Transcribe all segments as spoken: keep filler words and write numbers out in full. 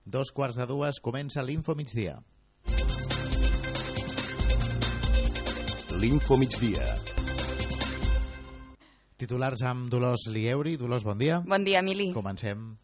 Dos quarts de dues comença l'Info Migdia. L'Info Migdia. Titulars amb Dolors Lieuri. Dolors, bon dia. Bon dia, Emili. Comencem.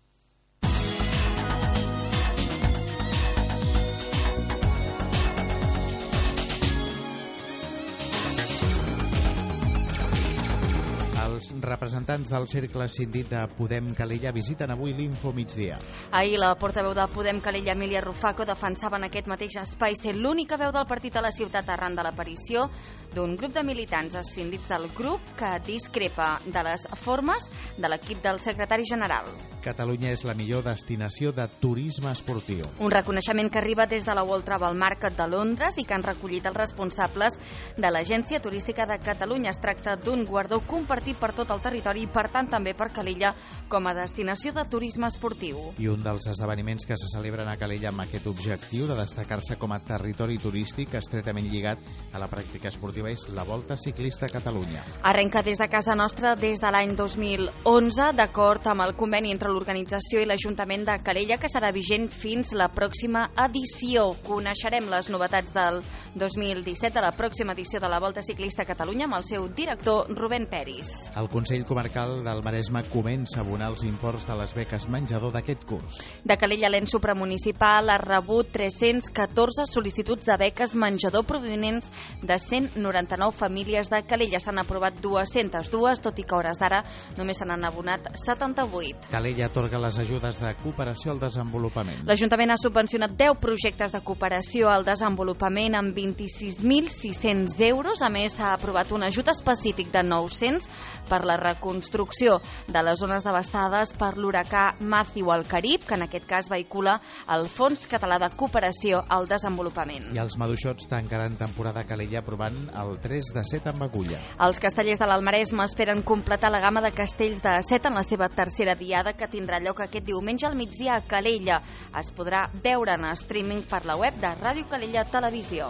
Els representants del cercle escindit de Podem Calella visiten avui l'Info Migdia. Ahir la portaveu de Podem Calella, Emília Rufaco, defensava en aquest mateix espai ser l'única veu del partit a la ciutat arran de l'aparició d'un grup de militants escindits del grup que discrepa de les formes de l'equip del secretari general. Catalunya és la millor destinació de turisme esportiu. Un reconeixement que arriba des de la World Travel Market de Londres i que han recollit els responsables de l'Agència Turística de Catalunya. Es tracta d'un guardó compartit per tot el territori i, per tant, també per Calella com a destinació de turisme esportiu. I un dels esdeveniments que se celebren a Calella amb aquest objectiu de destacar-se com a territori turístic estretament lligat a la pràctica esportiva és la Volta Ciclista a Catalunya. Arrenca des de casa nostra des de l'any dos mil onze, d'acord amb el conveni entre l'organització i l'Ajuntament de Calella, que serà vigent fins la pròxima edició. Coneixerem les novetats del dos mil disset, de la pròxima edició de la Volta Ciclista a Catalunya, amb el seu director, Rubén Peris. El Consell Comarcal del Maresme comença a abonar els imports de les beques menjador d'aquest curs. De Calella, l'ens supramunicipal ha rebut tres-cents catorze sol·licituds de beques menjador provinents de cent noranta-nou famílies de Calella. S'han aprovat dues-centes dues, tot i que a hores d'ara només se n'han abonat setanta-vuit. Calella atorga les ajudes de cooperació al desenvolupament. L'Ajuntament ha subvencionat deu projectes de cooperació al desenvolupament amb vint-i-sis mil sis-cents euros. A més, s'ha aprovat un ajut específic de nou-cents per la reconstrucció de les zones devastades per l'huracà Matthew al Carib, que en aquest cas vehicula el Fons Català de Cooperació al Desenvolupament. I els maduixots tancaran temporada a Calella aprovant el tres de set amb agulla. Els castellers de l'Almaresme esperen completar la gamma de castells de set en la seva tercera diada, que tindrà lloc aquest diumenge al migdia a Calella. Es podrà veure en streaming per la web de Ràdio Calella Televisió.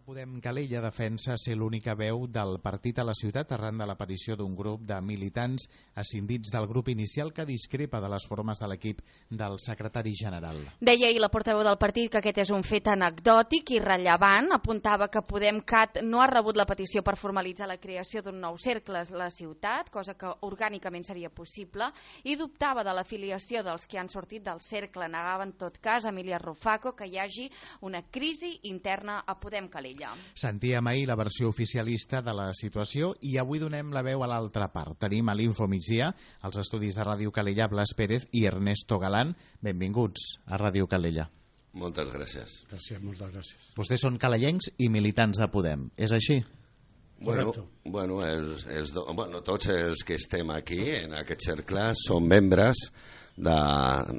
Podem Calella defensa ser l'única veu del partit a la ciutat arran de l'aparició d'un grup de militants escindits del grup inicial que discrepa de les formes de l'equip del secretari general. Deia ahir la portaveu del partit que aquest és un fet anecdòtic i rellevant. Apuntava que PodemCat no ha rebut la petició per formalitzar la creació d'un nou cercle a la ciutat, cosa que orgànicament seria possible, i dubtava de l'afiliació dels que han sortit del cercle. Negava en tot cas, Emília Rufaco, que hi hagi una crisi interna a Podem Calella. Sentíem ahir la versió oficialista de la situació i avui donem la veu a l'altra part. Tenim a l'Info Migdia els estudis de Ràdio Calella, Blas Pérez i Ernesto Galán. Benvinguts a Ràdio Calella. Moltes gràcies. Gràcies, moltes gràcies. Vostès són calellencs i militants de Podem, és així? Bueno, bueno, els, els do, bueno, tots els que estem aquí en aquest cercle som membres de,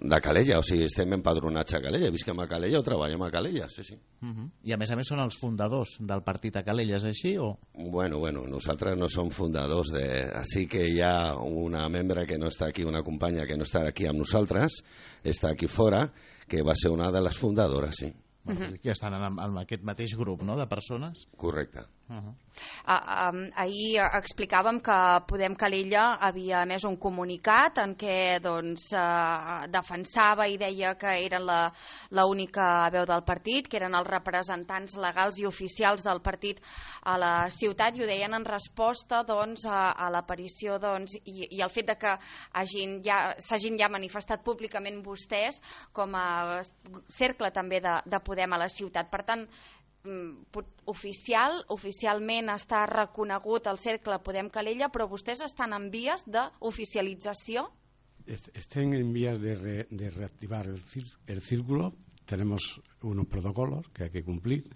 de Calella, o sigui, estem empadronats a Calella, visquem a Calella o treballem a Calella, sí, sí. Uh -huh. I a més a més són els fundadors del partit a Calella, és així o...? Bueno, bueno, nosaltres no som fundadors de... Així que hi ha una membre que no està aquí, una companya que no està aquí amb nosaltres, està aquí fora, que va ser una de les fundadores, sí. Uh -huh. Que estan en, en aquest mateix grup, no?, de persones? Correcte. Uh -huh. uh, um, ahir explicàvem que Podem Calella havia emès un comunicat en què doncs, uh, defensava i deia que eren l'única veu del partit, que eren els representants legals i oficials del partit a la ciutat, i ho deien en resposta doncs, a, a l'aparició doncs, i, i el fet de que s'hagin ja, ja manifestat públicament vostès com a cercle també de, de Podem a la ciutat. Per tant, oficial, oficialment està reconegut el cercle Podem Calella, però vostès estan en vies d'oficialització? Estén en vías de, re, de reactivar el, el círculo. Tenemos unos protocolos que hay que cumplir,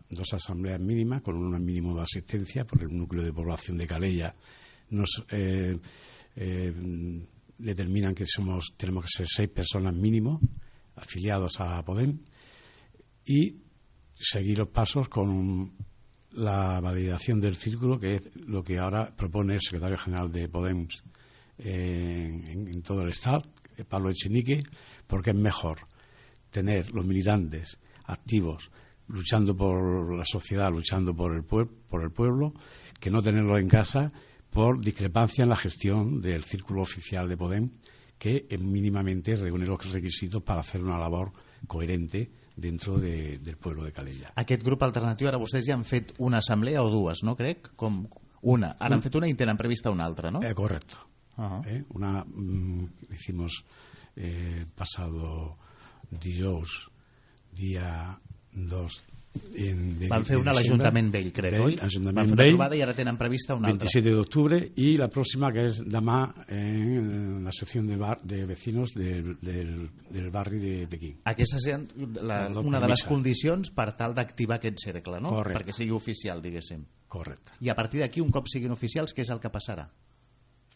dos asambleas mínimas con un mínimo de asistencia, porque el núcleo de población de Calella nos eh, eh, determinan que somos tenemos que ser seis personas mínimo afiliados a Podem, y seguir los pasos con la validación del círculo, que es lo que ahora propone el secretario general de Podem eh, en, en todo el Estado, Pablo Echenique, porque es mejor tener los militantes activos luchando por la sociedad, luchando por el, pue por el pueblo, que no tenerlos en casa por discrepancia en la gestión del círculo oficial de Podem, que mínimamente reúne los requisitos para hacer una labor coherente dentro de, del pueblo de Calella. Aquest grup alternatiu, ara vostès ja han fet una assemblea o dues, no crec? Com una. Ara han fet una i tenen prevista una altra, no? Eh, correcto. Uh -huh. eh, una mm, hicimos eh, pasado dijous, día dos. En, de, Van fer una a l'Ajuntament Vell, crec, oi? Van fer una trobada i ara tenen prevista una altra. veintisiete de octubre y la próxima que es demà en la asociación de, bar, de vecinos del, del, del barri de Pequín. Aquesta és la, una de les condicions per tal d'activar aquest cercle, no? Correcte. Perquè sigui oficial, diguéssim. Correcte. I a partir d'aquí, un cop siguin oficials, què és el que passarà?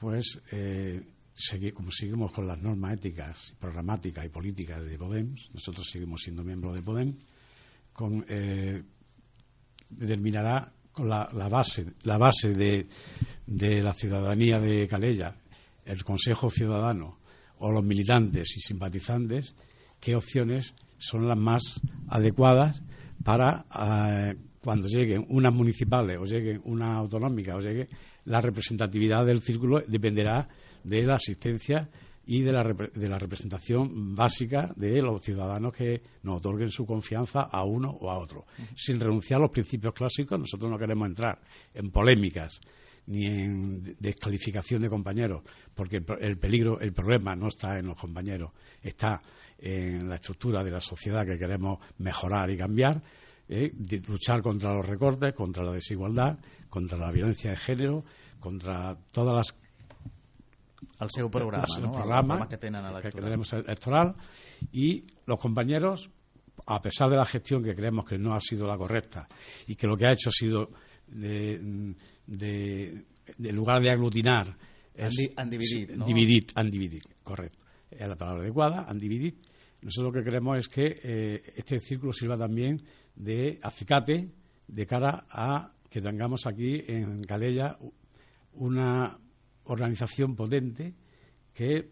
Pues, eh, segui, como seguimos con las normas éticas, programáticas y políticas de Podem, nosotros seguimos siendo miembros de Podem, con, eh, determinará con la, la base, la base de, de la ciudadanía de Calella, el Consejo Ciudadano o los militantes y simpatizantes, qué opciones son las más adecuadas para eh, cuando lleguen unas municipales o lleguen unas autonómicas o llegue la representatividad del círculo dependerá de la asistencia y de la, de la representación básica de los ciudadanos que nos otorguen su confianza a uno o a otro. Uh-huh. Sin renunciar a los principios clásicos, nosotros no queremos entrar en polémicas ni en descalificación de compañeros, porque el peligro, el problema no está en los compañeros, está en la estructura de la sociedad que queremos mejorar y cambiar, eh, de luchar contra los recortes, contra la desigualdad, contra la violencia de género, contra todas las el seu programa, el no? programa, el programa que tenen electoral. que tenemos electoral, y los compañeros, a pesar de la gestión que creemos que no ha sido la correcta y que lo que ha hecho ha sido de, de, de lugar de aglutinar han, di, han dividit, sí, no? dividit, han dividit, correcto, es la palabra adecuada, han dividit. Nosotros lo que queremos es que eh, este círculo sirva también de acicate de cara a que tengamos aquí en Calella una organización potente que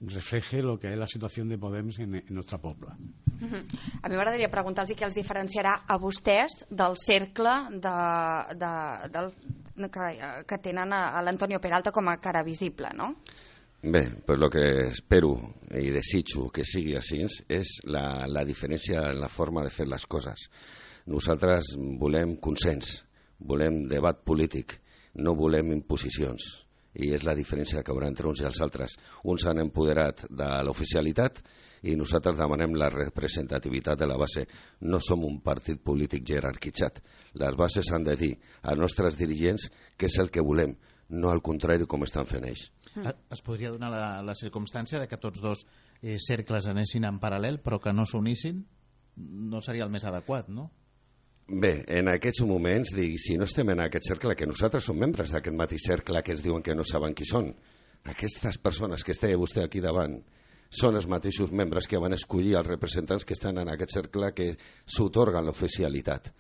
refleje lo que és la situació de Podem en, en nostra poble. Uh-huh. A mi m'agradaria preguntar-los què els diferenciarà a vostès del cercle de, de, del, que, que tenen a, a l'Antonio Peralta com a cara visible, no? Bé, pues lo que espero i desitjo que sigui així és la, la diferència en la forma de fer les coses. Nosaltres volem consens, volem debat polític, no volem imposicions. I és la diferència que haurà entre uns i els altres. Uns s'han empoderat de l'oficialitat i nosaltres demanem la representativitat de la base. No som un partit polític jerarquitzat. Les bases han de dir als nostres dirigents què és el que volem, no al contrari com estan fent ells. Mm. Es podria donar la, la circumstància de que tots dos eh, cercles anessin en paral·lel però que no s'unissin? No seria el més adequat, no? Bé, en aquests moments, dic, si no estem en aquest cercle, que nosaltres som membres d'aquest mateix cercle que ens diuen que no saben qui són, aquestes persones que esteu vostè aquí davant són els mateixos membres que van escollir els representants que estan en aquest cercle que s'otorguen l'oficialitat.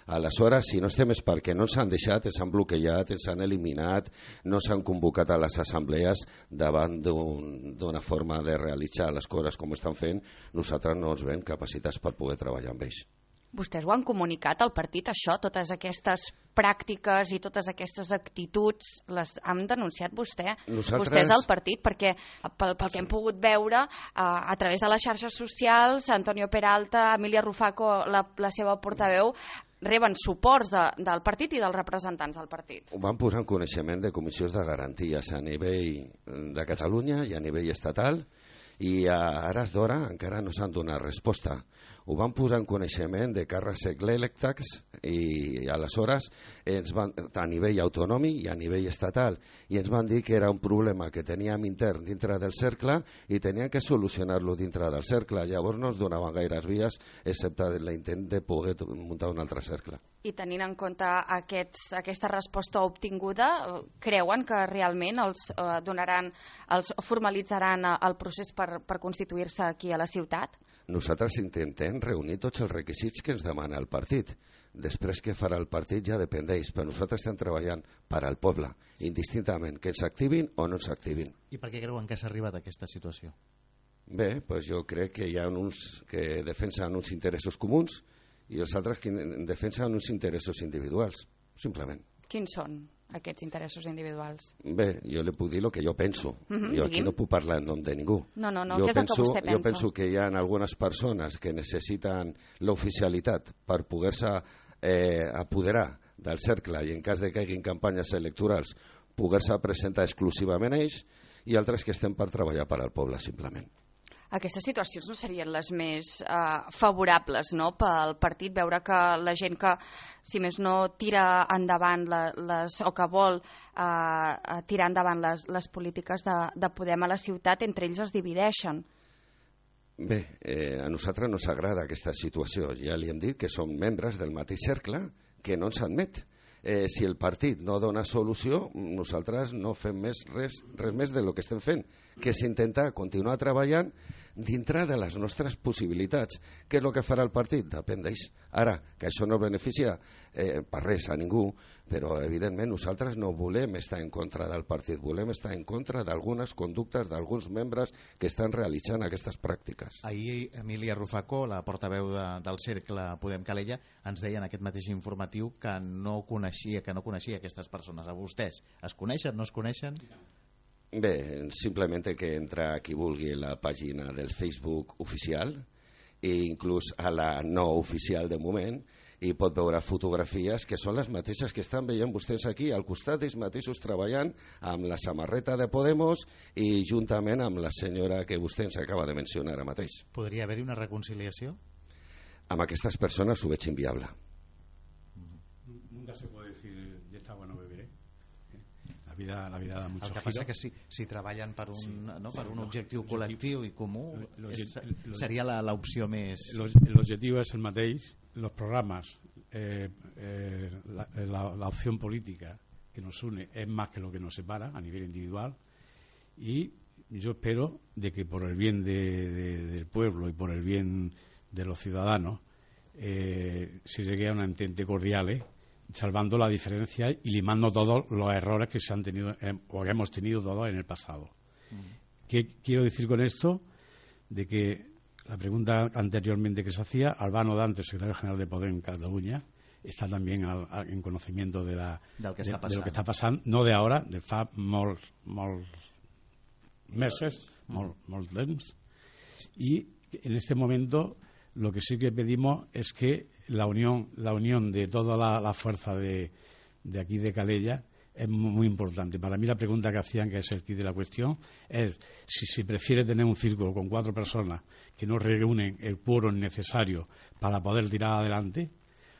Aleshores, si no estem és perquè no ens han deixat, ens han bloquejat, ens han eliminat, no s'han convocat a les assemblees davant d'una un, forma de realitzar les coses com estan fent, nosaltres no ens veiem capacitats per poder treballar amb ells. Vostès ho han comunicat al partit, això, totes aquestes pràctiques i totes aquestes actituds, les han denunciat vostè, Nosaltres... vostès al partit, perquè pel, pel que hem pogut veure, a, a través de les xarxes socials, Antonio Peralta, Emília Rufaco, la, la seva portaveu, reben suports de, del partit i dels representants del partit. Ho van posar en coneixement de comissions de garanties a nivell de Catalunya i a nivell estatal, i a hores d'hora encara no s'han donat resposta. Ho van posar en coneixement de càrrecs electes i aleshores ens van, a nivell autonòmic i a nivell estatal, i ens van dir que era un problema que teníem intern dintre del cercle i tenien que solucionar-lo dintre del cercle. Llavors no ens donaven gaires vies excepte l'intent de poder muntar un altre cercle. I tenint en compte aquests, aquesta resposta obtinguda, creuen que realment els eh, donaran, els formalitzaran el procés per, per constituir-se aquí a la ciutat? Nosaltres intentem reunir tots els requisits que ens demana el partit. Després què farà el partit ja depèn d'ells, però nosaltres estem treballant per al poble, indistintament, que ens activin o no ens activin. I per què creuen que s'ha arribat a aquesta situació? Bé, doncs jo crec que hi ha uns que defensen uns interessos comuns i els altres que defensen uns interessos individuals, simplement. Quins són aquests interessos individuals? Bé, jo li puc dir el que jo penso. Mm-hmm, jo aquí digui'm. no puc parlar en nom de ningú. No, no, no, jo què és penso, el que vostè pensa? Jo penso que hi ha algunes persones que necessiten l'oficialitat per poder-se eh, apoderar del cercle i en cas de que hi hagin campanyes electorals poder-se presentar exclusivament a ells, i altres que estem per treballar per al poble, simplement. Aquestes situacions no serien les més eh, favorables, no?, pel partit, veure que la gent que, si més no, tira endavant la, les, o que vol eh, tirar endavant les, les polítiques de, de Podem a la ciutat, entre ells es divideixen. Bé, eh, a nosaltres no ens agrada aquesta situació. Ja li hem dit que som membres del mateix cercle que no ens admet. Eh, si el partit no dona solució, nosaltres no fem més res, res més del que estem fent, que és intentar continuar treballant dintre de les nostres possibilitats. Què és el que farà el partit? Depèn d'ells. Ara, que això no beneficia eh, per res a ningú, però evidentment nosaltres no volem estar en contra del partit, volem estar en contra d'algunes conductes d'alguns membres que estan realitzant aquestes pràctiques. Ahir Emília Rufacó, la portaveu de, del cercle Podem Calella, ens deia en aquest mateix informatiu que no coneixia, que no coneixia aquestes persones. A vostès es coneixen, no es coneixen? Bé, simplement que entra qui vulgui a la pàgina del Facebook oficial i inclús a la no oficial de moment, i pot veure fotografies que són les mateixes que estan veient vostès aquí, al costat ells mateixos treballant amb la samarreta de Podemos i juntament amb la senyora que vostè ens acaba de mencionar ara mateix. Podria haver-hi una reconciliació? Amb aquestes persones ho veig inviable. Nunca se puede decir de esta agua no beberé. La vida, la vida da mucho giro. El que passa que si, si treballen per un, sí, no, per un objectiu col·lectiu i comú, és, seria l'opció més... L'objectiu és el mateix, los programas, eh, eh, la, la, la opción política que nos une es más que lo que nos separa a nivel individual, y yo espero de que por el bien de, de, del pueblo y por el bien de los ciudadanos eh, se llegue a una entente cordial, eh, salvando la diferencia y limando todos los errores que se han tenido eh, o que hemos tenido todos en el pasado. Mm. ¿Qué quiero decir con esto? De que la pregunta anteriormente que se hacía, Albano Dante, secretario general de Podem en Cataluña, está también al, al, en conocimiento de, la, del que de, està de lo que está pasando, no de ahora, de fa molts, molts meses, molts, molts temps. Y en este momento lo que sí que pedimos es que la unión, la unión de toda la, la fuerza de, de aquí de Calella es muy importante. Para mí la pregunta que hacían, que es el quid de la cuestión, es si se prefiere tener un círculo con cuatro personas que no reúnen el quórum necesario para poder tirar adelante,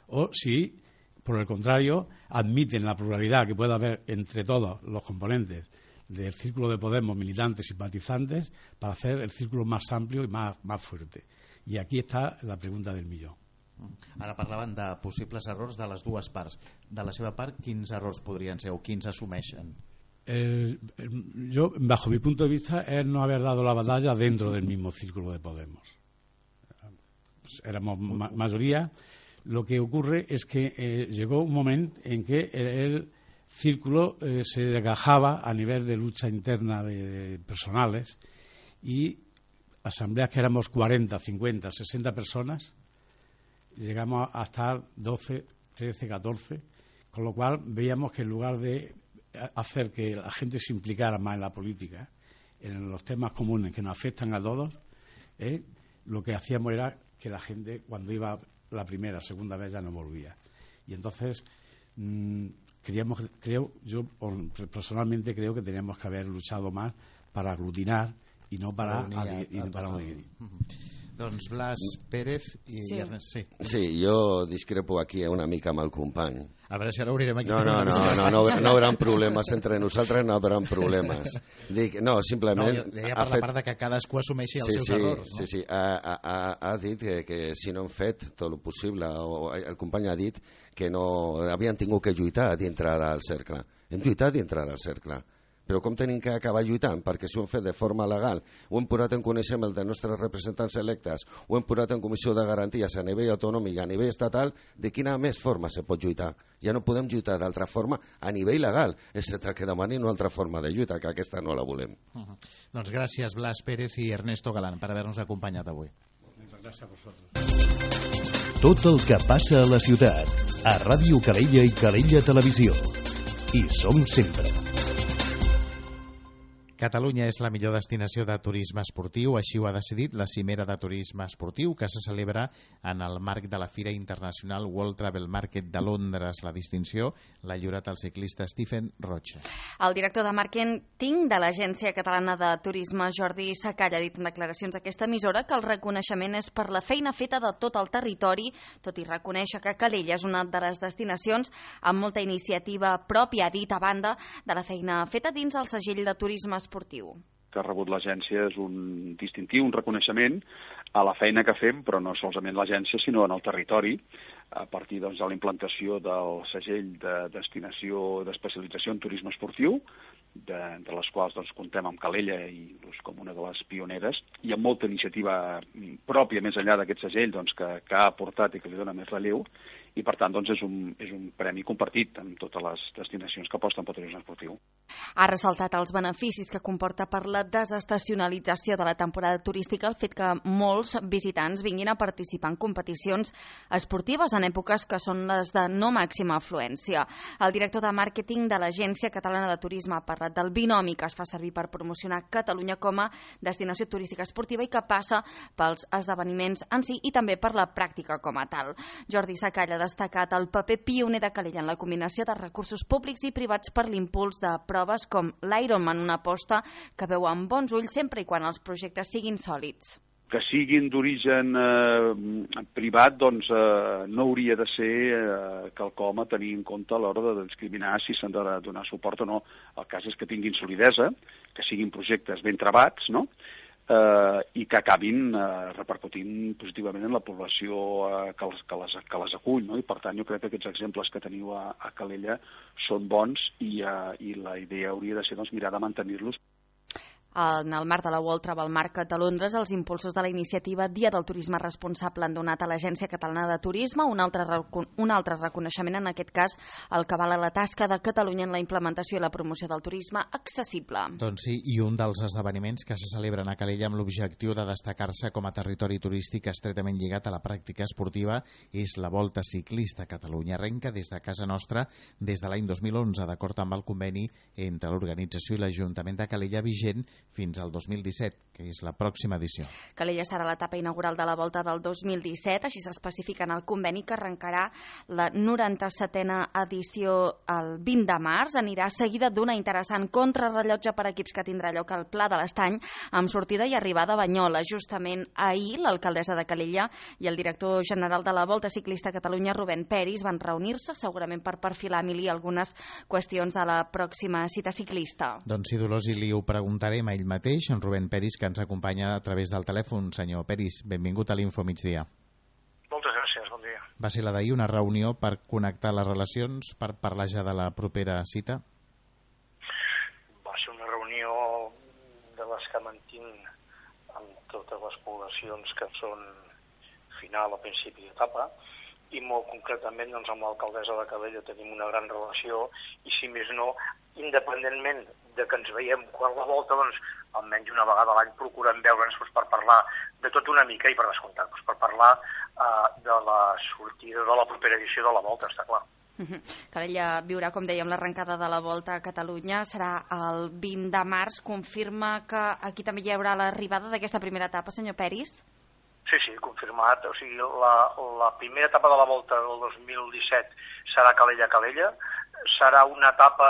o si, por el contrario, admiten la pluralidad que pueda haber entre todos los componentes del círculo de Podemos, militantes y simpatizantes, para hacer el círculo más amplio y más, más fuerte. I aquí està la pregunta del millor. Ara parlaven de possibles errors de les dues parts. De la seva part, quins errors podrien ser o quins assumeixen? El, el, yo, bajo mi punto de vista, es no haber dado la batalla dentro del mismo círculo de Podemos. Pues éramos ma mayoría. Lo que ocurre es que eh, llegó un momento en que el, el círculo eh, se desgajaba a nivel de lucha interna de, de personales, y asambleas que éramos cuarenta, cincuenta, sesenta personas, llegamos a estar doce, trece, catorce, con lo cual veíamos que en lugar de hacer que la gente se implicara más en la política, en los temas comunes que nos afectan a todos, eh, lo que hacíamos era que la gente, cuando iba la primera, segunda vez, ya no volvía. Y entonces mmm, queríamos, creo, yo personalmente creo que teníamos que haber luchado más para aglutinar i no para dividir. Doncs Blas Pérez i sí. Ernest. Sí. sí, jo discrepo aquí una mica amb el company. A veure si ara obrirem aquí. No, no, no, no, no, no, no haurà problemes entre nosaltres, no haurà problemes. Dic, no, simplement... No, deia per la part de que cadascú assumeixi els sí, seus sí, errors. No? Sí, sí, ha, ha, ha dit que, que si no han fet tot el possible, o el company ha dit que no havien tingut que lluitar dintre del cercle. Hem lluitat dintre del cercle. Però com tenim que acabar lluitant? Perquè si ho hem fet de forma legal, ho hem posat en coneixement dels nostres representants electes, ho hem posat en comissió de garanties a nivell autonòmic, a nivell estatal, de quina més forma se pot lluitar? Ja no podem lluitar d'altra forma a nivell legal, excepte que demanin una altra forma de lluita, que aquesta no la volem. Uh -huh. Doncs gràcies Blas Pérez i Ernesto Galán per haver-nos acompanyat avui. Gràcies a vosaltres. Tot el que passa a la ciutat, a Ràdio Calella i Calella Televisió. Hi som sempre. Catalunya és la millor destinació de turisme esportiu, així ho ha decidit la Cimera de Turisme Esportiu, que se celebra en el marc de la Fira Internacional World Travel Market de Londres. La distinció l'ha lliurat el ciclista Stephen Rocha. El director de màrqueting de l'Agència Catalana de Turisme, Jordi Sacall, ha dit en declaracions a aquesta emissora que el reconeixement és per la feina feta de tot el territori, tot i reconèixer que Calella és una de les destinacions amb molta iniciativa pròpia, ha dit, a banda de la feina feta dins el segell de turisme esportiu. Que ha rebut l'agència és un distintiu, un reconeixement a la feina que fem, però no solament l'agència, sinó en el territori, a partir doncs, de la implantació del segell de destinació d'especialització en turisme esportiu, de, de les quals doncs, comptem amb Calella i, doncs, com una de les pioneres, i amb molta iniciativa pròpia més enllà d'aquest segell doncs, que, que ha aportat i que li dona més relleu, i per tant doncs, és, un, és un premi compartit amb totes les destinacions que aposten pel turisme esportiu. Ha ressaltat els beneficis que comporta per la desestacionalització de la temporada turística el fet que molts visitants vinguin a participar en competicions esportives en èpoques que són les de no màxima afluència. El director de màrqueting de l'Agència Catalana de Turisme ha parlat del binomi que es fa servir per promocionar Catalunya com a destinació turística esportiva i que passa pels esdeveniments en si i també per la pràctica com a tal. Jordi Sacall ha destacat el paper pioner de Calella en la combinació de recursos públics i privats per l'impuls de proves com l'Ironman, una aposta que veu amb bons ulls sempre i quan els projectes siguin sòlids. Que siguin d'origen eh, privat, doncs eh, no hauria de ser eh, quelcom a tenir en compte a l'hora de discriminar si s'han de donar suport o no. El cas és que tinguin solidesa, que siguin projectes ben trebats, no?, eh, i que acabin eh, repercutint positivament en la població eh, que, les, que, les, que les acull, no? I per tant jo crec que aquests exemples que teniu a, a Calella són bons i, eh, i la idea hauria de ser doncs, mirar de mantenir-los. En el marc de la World Travel Market de Londres, els impulsors de la iniciativa Dia del Turisme Responsable han donat a l'Agència Catalana de Turisme un altre, un altre reconeixement, en aquest cas el que val a la tasca de Catalunya en la implementació i la promoció del turisme accessible. Doncs sí, i un dels esdeveniments que se celebren a Calella amb l'objectiu de destacar-se com a territori turístic estretament lligat a la pràctica esportiva és la Volta Ciclista a Catalunya. Arrenca des de casa nostra des de l'any dos mil onze, d'acord amb el conveni entre l'organització i l'Ajuntament de Calella vigent fins al dos mil disset, que és la pròxima edició. Calella serà l'etapa inaugural de la Volta del dos mil disset, així s'especifica en el conveni que arrencarà la noranta-setena edició el vint de març. Anirà seguida d'una interessant contrarrellotge per equips que tindrà lloc al Pla de l'Estany, amb sortida i arribada a Banyoles. Justament ahir, l'alcaldessa de Calella i el director general de la Volta Ciclista a Catalunya, Rubén Peris, van reunir-se segurament per perfilar, Emili, algunes qüestions de la pròxima cita ciclista. Doncs sí, Dolors, i li ho preguntarem a ell mateix, en Rubén Peris, que ens acompanya a través del telèfon. Senyor Peris, benvingut a l'Info Migdia. Moltes gràcies, bon dia. Va ser la d'ahir una reunió per connectar les relacions, per parlar ja de la propera cita? Va ser una reunió de les que mantinc amb totes les poblacions que són final o principi d'etapa, i molt concretament doncs, amb l'alcaldessa de Calella tenim una gran relació i, si més no, independentment de que ens veiem quan la volta, doncs, almenys una vegada a l'any procurem veure'ns doncs, per parlar de tot una mica i per descomptat, doncs, per parlar eh, de la sortida de la propera edició de la volta, està clar. Uh-huh. Calella viurà, com dèiem, l'arrencada de la Volta a Catalunya. Serà el vint de març. Confirma que aquí també hi haurà l'arribada d'aquesta primera etapa, senyor Peris? Sí, sí, confirmat. O sigui, la, la primera etapa de la Volta del dos mil disset serà Calella-Calella. Serà una etapa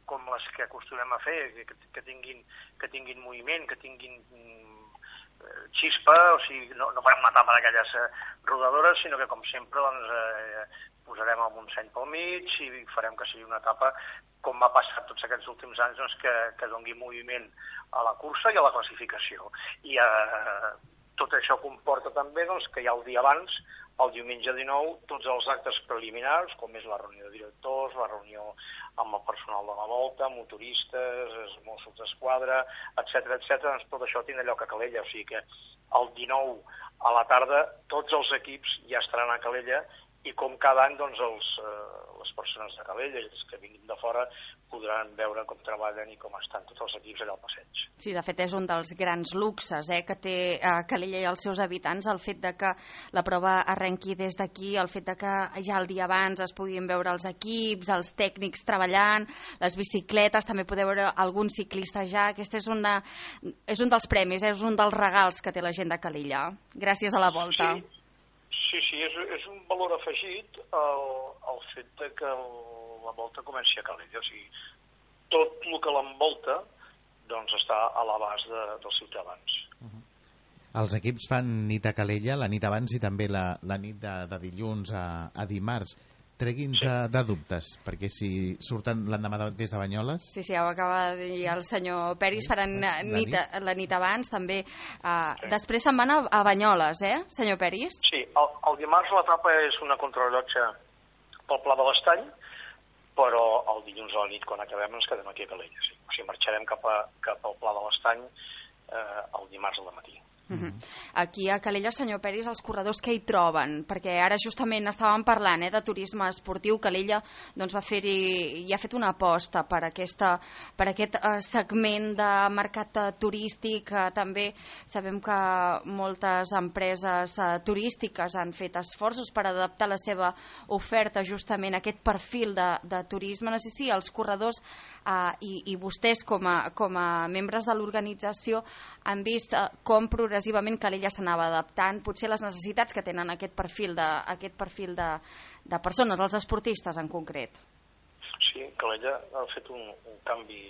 com les que acostumem a fer, que, que, tinguin, que tinguin moviment, que tinguin eh, xispa, o sigui, no, no farem una etapa d'aquelles eh, rodadores, sinó que, com sempre, doncs, eh, posarem el Montseny pel mig i farem que sigui una etapa, com ha passat tots aquests últims anys, doncs, que, que doni moviment a la cursa i a la classificació. I eh, tot això comporta també doncs, que ja el dia abans, el diumenge dinou, tots els actes preliminars, com és la reunió de directors, la reunió amb el personal de la Volta, motoristes, Mossos d'Esquadra, etcètera, etcètera, doncs tot això tindrà lloc a Calella. O sigui que el dinou a la tarda tots els equips ja estaran a Calella i, com cada any, doncs, els, eh, les persones de Calella, els que vinguin de fora, podran veure com treballen i com estan tots els equips allà al passeig. Sí, de fet és un dels grans luxes eh, que té eh, Calella i els seus habitants, el fet de que la prova arrenqui des d'aquí, el fet de que ja el dia abans es puguin veure els equips, els tècnics treballant, les bicicletes, també podeu veure algun ciclista ja. Aquest és, una, és un dels premis, és un dels regals que té la gent de Calella, gràcies a la Volta. Sí, sí, sí és, és un valor afegit el, el fet de que el, la Volta comenci a Calella, o sigui, tot el que l'envolta doncs està a l'abast de, dels ciutadans. Uh-huh. Els equips fan nit a Calella, la nit abans i també la, la nit de, de dilluns a, a dimarts. Tregui'ns sí. de, de dubtes, perquè si surten l'endemà de, des de Banyoles... Sí, sí, ho acaba de dir el senyor Peris, faran la nit, nit? la nit abans, també. Uh, sí. Després se'n van a, a Banyoles, eh, senyor Peris? Sí, el, el dimarts l'etapa és una contrarrellotge pel Pla de l'Estany, però el dilluns a la nit, quan acabem, ens quedem aquí a Calella. Sí. O sigui, marxarem cap, a, cap al Pla de l'Estany eh, el dimarts al matí. Uh-huh. Aquí a Calella, senyor Peris, els corredors què hi troben? Perquè ara justament estàvem parlant eh, de turisme esportiu. Calella doncs, va fer-hi i ha fet una aposta per, aquesta, per aquest eh, segment de mercat eh, turístic. Eh, també sabem que moltes empreses eh, turístiques han fet esforços per adaptar la seva oferta justament a aquest perfil de, de turisme. No sé si els corredors eh, i, i vostès com a, com a membres de l'organització han vist eh, com progressivament Calella s'anava adaptant, potser les necessitats que tenen aquest perfil de, aquest perfil de, de persones, els esportistes en concret. Sí, Calella ha fet un, un canvi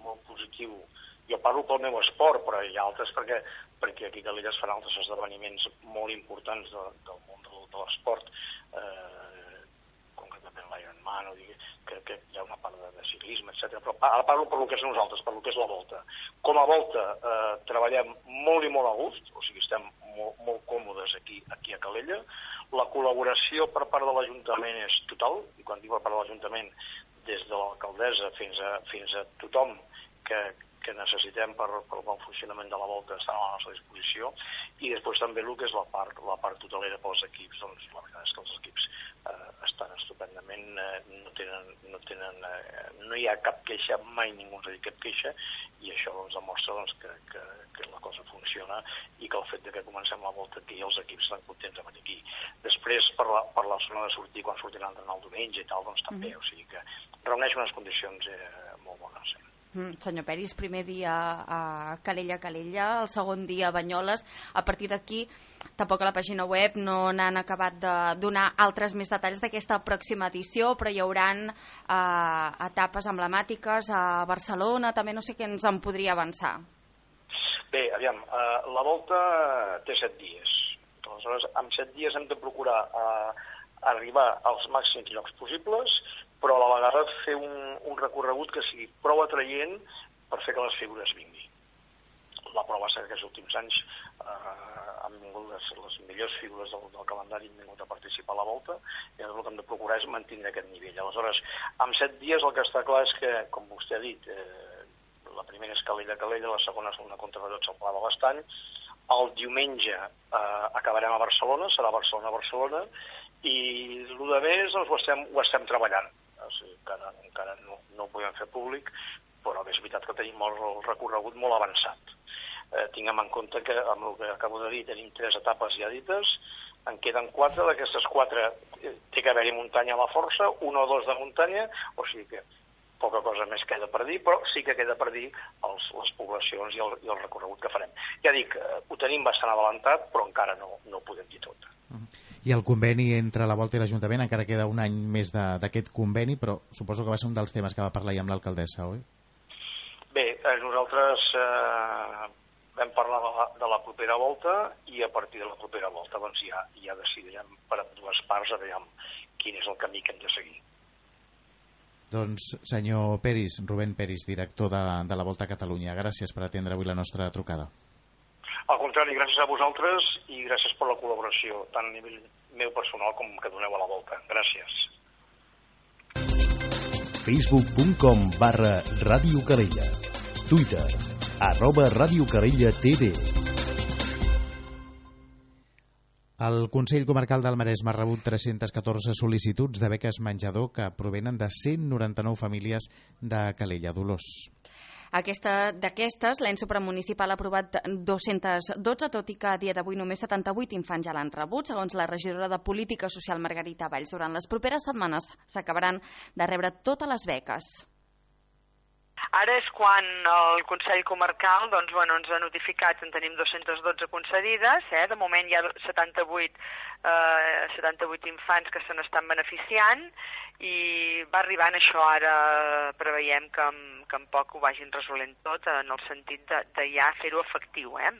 molt positiu. Jo parlo pel meu esport, però hi ha altres perquè, perquè aquí a Calella es fan altres esdeveniments molt importants de, del món de, de l'esport, eh, concretament l'Ironman, o digui, que, que hi ha una part de, de ciclisme, etcètera. Però ara parlo per lo que és nosaltres, per lo que és la Volta. Com a Volta eh, treballem molt i molt a gust, o sigui, estem molt, molt còmodes aquí, aquí a Calella. La col·laboració per part de l'Ajuntament és total, i quan dic per part de l'Ajuntament, des de l'alcaldessa fins a, fins a tothom que, que necessitem per, per el bon funcionament de la Volta estan a la nostra disposició, i després també el que és la part, la part totalera pels equips, doncs la veritat és que els equips eh, estan estupendament, eh, no tenen, no tenen, eh, no hi ha cap queixa, mai ningú ens ha dit cap queixa, i això doncs demostra doncs, que, que, que la cosa funciona i que el fet de que comencem la Volta aquí els equips estan contents de venir aquí. Després per la, per la zona de sortir quan sortiran d'entrenar el diumenge i tal, doncs també, mm-hmm. o sigui que reuneix unes condicions eh, molt bones. Sí. Mm, senyor Peris, primer dia a Calella, Calella, el segon dia a Banyoles. A partir d'aquí, tampoc a la pàgina web no n'han acabat de donar altres més detalls d'aquesta pròxima edició, però hi haurà eh, etapes emblemàtiques a Barcelona, també no sé què ens en podria avançar. Bé, aviam, eh, la Volta té set dies. Aleshores, en set dies hem de procurar eh, arribar als màxims llocs possibles, però a la vegada fer un, un recorregut que sigui prou atraient per fer que les figures vinguin. La prova és que aquests últims anys eh, han vingut les, les millors figures del, del calendari, han vingut a participar a la Volta, i el que hem de procurar és mantenir aquest nivell. Aleshores, en set dies el que està clar és que, com vostè ha dit, eh, la primera és Calella-Calella, la segona és una contrarrellotge al Pla de l'Estany, el diumenge eh, acabarem a Barcelona, serà Barcelona-Barcelona, i el de més doncs, ho, estem, ho estem treballant. O sigui, encara, encara no, no ho podem fer públic, però és veritat que tenim el, el recorregut molt avançat. Eh, tinguem en compte que, amb el que acabo de dir, tenim tres etapes ja dites, en queden quatre, d'aquestes quatre eh, té que haver-hi muntanya a la força, una o dos de muntanya, o sigui que poca cosa més queda per dir, però sí que queda per dir els, les poblacions i el, i el recorregut que farem. Ja dic, eh, ho tenim bastant adelantat, però encara no, no ho podem dir tot. I el conveni entre la Volta i l'Ajuntament, encara queda un any més d'aquest conveni, però suposo que va ser un dels temes que va parlar ja amb l'alcaldessa, oi? Bé, eh, nosaltres eh, vam parlar de la, de la propera Volta, i a partir de la propera Volta doncs ja, ja decidirem per a dues parts a veure quin és el camí que hem de seguir. Doncs, senyor Peris, Rubén Peris, director de, de la Volta a Catalunya, gràcies per atendre avui la nostra trucada. Al contrari, gràcies a vosaltres i gràcies per la col·laboració, tant a nivell meu personal com que doneu a la Volta. Gràcies. facebook punt com barra Ràdio Calella. Twitter, arroba Ràdio Calella T V. El Consell Comarcal del Maresme ha rebut tres-centes catorze sol·licituds de beques menjador que provenen de cent noranta-nou famílies de Calella. Dolors. D'aquestes, l'ens supramunicipal ha aprovat dos-cents dotze, tot i que a dia d'avui només setanta-vuit infants ja l'han rebut. Segons la regidora de Política Social Margarita Valls, durant les properes setmanes s'acabaran de rebre totes les beques. Ara és quan el Consell Comarcal doncs, bueno, ens ha notificat que en tenim dos-cents dotze concedides, eh? De moment hi ha setanta-vuit, eh, setanta-vuit infants que se n'estan beneficiant i va arribant això, ara preveiem que en, que en poc ho vagin resolent tot en el sentit de, de ja fer-ho efectiu, eh?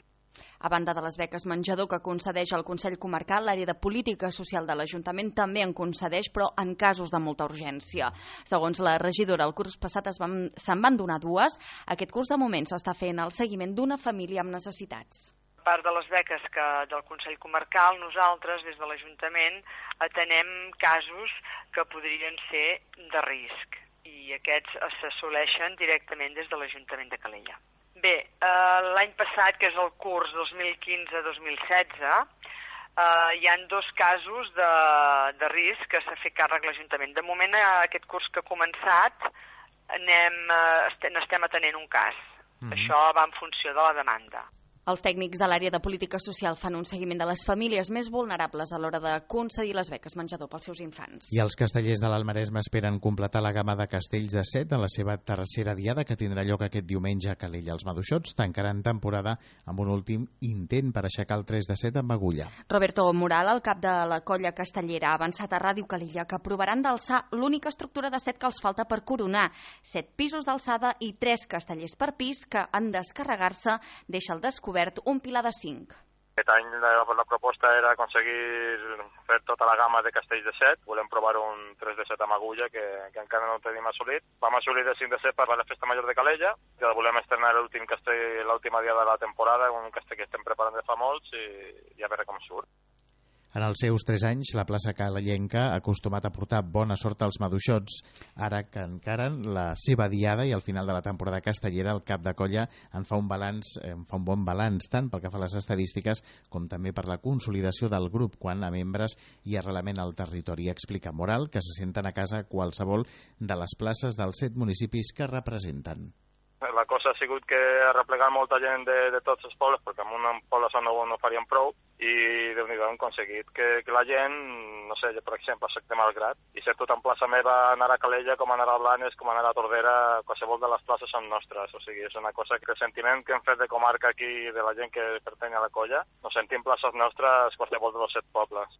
A banda de les beques menjador que concedeix el Consell Comarcal, l'àrea de política social de l'Ajuntament també en concedeix, però en casos de molta urgència. Segons la regidora, el curs passat es van, se'n van donar dues. Aquest curs de moment s'està fent el seguiment d'una família amb necessitats. A part de les beques que del Consell Comarcal, nosaltres, des de l'Ajuntament, atenem casos que podrien ser de risc i aquests s'assoleixen directament des de l'Ajuntament de Calella. Bé, eh, l'any passat, que és el curs dos mil quinze dos mil setze, eh, hi han dos casos de, de risc que s'ha fet càrrec l'Ajuntament. De moment, aquest curs que ha començat, anem, eh, n'estem atenent un cas. Mm-hmm. Això va en funció de la demanda. Els tècnics de l'àrea de política social fan un seguiment de les famílies més vulnerables a l'hora de concedir les beques menjador pels seus infants. I els castellers de l'Alt Maresme esperen completar la gamma de castells de set en la seva tercera diada, que tindrà lloc aquest diumenge a Calella. Els maduixots tancaran temporada amb un últim intent per aixecar el tres de set amb agulla. Roberto Moral, el cap de la colla castellera, ha avançat a Ràdio Calella que provaran d'alçar l'única estructura de set que els falta per coronar. Set pisos d'alçada i tres castellers per pis que, en descarregar-se, deixa el descobert un pilar de cinc. Aquest any la, la proposta era aconseguir fer tota la gamma de castells de set. Volem provar un tres de set amb agulla que, que encara no tenim assolit. Vam assolir de cinc de set per la festa major de Calella, que volem estrenar l'últim castell, l'última dia de la temporada, un castell que estem preparant de fa molts i, i a veure com surt. En els seus tres anys, la plaça calellenca ha acostumat a portar bona sort als maduixots. Ara que encaren la seva diada i al final de la temporada castellera, el cap de colla en fa un balanç, en fa un bon balanç, tant pel que fa a les estadístiques com també per la consolidació del grup quant a membres i arrelament al territori. Explica Moral que se senten a casa a qualsevol de les places dels set municipis que representen. La cosa ha sigut que ha replegat molta gent de, de tots els pobles, perquè en un poble no, no farien prou, i Déu-n'hi-do hem aconseguit que, que la gent, no sé, per exemple, a Sec de Malgrat, i ser tot en plaça meva, anar a Calella, com anar a Blanes, com anar a Tordera, qualsevol de les places són nostres. O sigui, és una cosa que el sentiment que hem fet de comarca aquí, de la gent que pertany a la colla, no sentim places nostres qualsevol dels set pobles.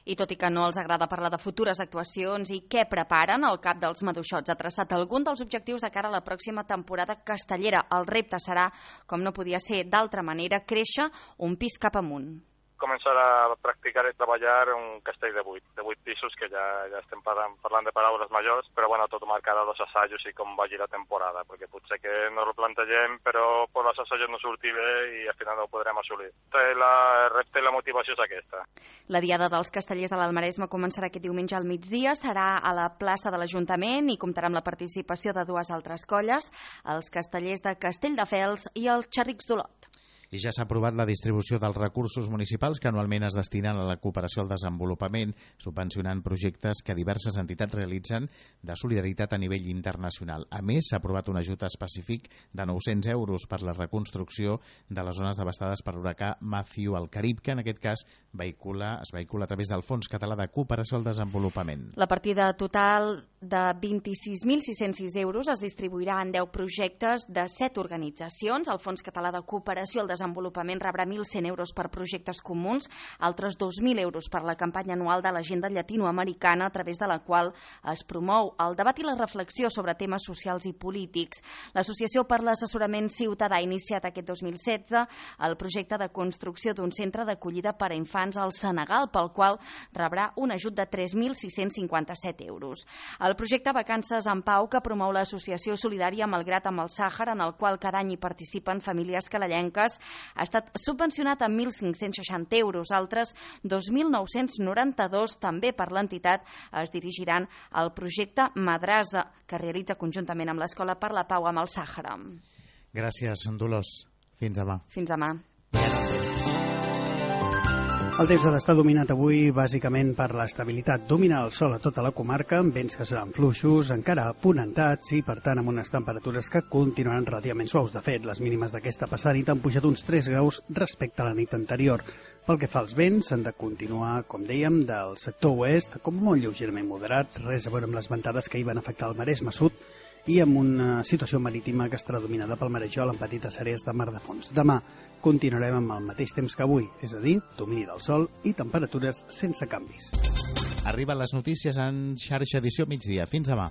I tot i que no els agrada parlar de futures actuacions i què preparen, el cap dels maduixots ha traçat algun dels objectius de cara a la pròxima temporada castellera. El repte serà, com no podia ser d'altra manera, créixer un pis cap amunt. Començar a practicar i treballar un castell de vuit, de vuit pisos, que ja, ja estem parlant, parlant de paraules majors, però bueno, tot marcarà els assajos i com vagi la temporada, perquè potser que no ho plantegem, però per els assajos no surti bé i al final no ho podrem assolir. La, el repte i la motivació és aquesta. La Diada dels Castellers de l'Alt Maresme començarà aquest diumenge al migdia, serà a la plaça de l'Ajuntament i comptarà amb la participació de dues altres colles, els Castellers de Castelldefels i els Xerrics d'Olot. I ja s'ha aprovat la distribució dels recursos municipals que anualment es destinen a la cooperació al desenvolupament, subvencionant projectes que diverses entitats realitzen de solidaritat a nivell internacional. A més, s'ha aprovat un ajut específic de nou-cents euros per la reconstrucció de les zones devastades per l'huracà Matthew al Carib, que en aquest cas vehicula, es vehicula a través del Fons Català de Cooperació al Desenvolupament. La partida total de vint-i-sis mil sis-cents sis euros es distribuirà en deu projectes de set organitzacions. El Fons Català de Cooperació al Desenvolupament Desenvolupament rebrà mil cent euros per projectes comuns, altres dos mil euros per la campanya anual de l'agenda llatinoamericana, a través de la qual es promou el debat i la reflexió sobre temes socials i polítics. L'Associació per l'Assessorament Ciutadà ha iniciat aquest dos mil setze el projecte de construcció d'un centre d'acollida per a infants al Senegal, pel qual rebrà un ajut de tres mil sis-cents cinquanta-set euros. El projecte Vacances en Pau, que promou l'Associació Solidària Malgrat amb el Sàhara, en el qual cada any hi participen famílies calellenques, ha estat subvencionat amb mil cinc-cents seixanta euros. Altres dos mil nou-cents noranta-dos, també per l'entitat, es dirigiran al projecte Madrasa, que realitza conjuntament amb l'Escola per la Pau amb el Sàhara. Gràcies, Dolors. Fins demà. Fins demà. El temps ha d'estar dominat avui bàsicament per l'estabilitat. Domina el sol a tota la comarca, amb vents que seran fluixos, encara aponentats i, per tant, amb unes temperatures que continuaran relativament suaus. De fet, les mínimes d'aquesta passada nit han pujat uns tres graus respecte a la nit anterior. Pel que fa als vents, han de continuar, com dèiem, del sector oest, com molt lleugerament moderats, res a veure amb les ventades que hi van afectar el Maresme Sud, i amb una situació marítima que estarà dominada pel marejol en petites àrees de mar de fons. Demà continuarem amb el mateix temps que avui, és a dir, domini del sol i temperatures sense canvis. Arriben les notícies en xarxa edició migdia. Fins demà.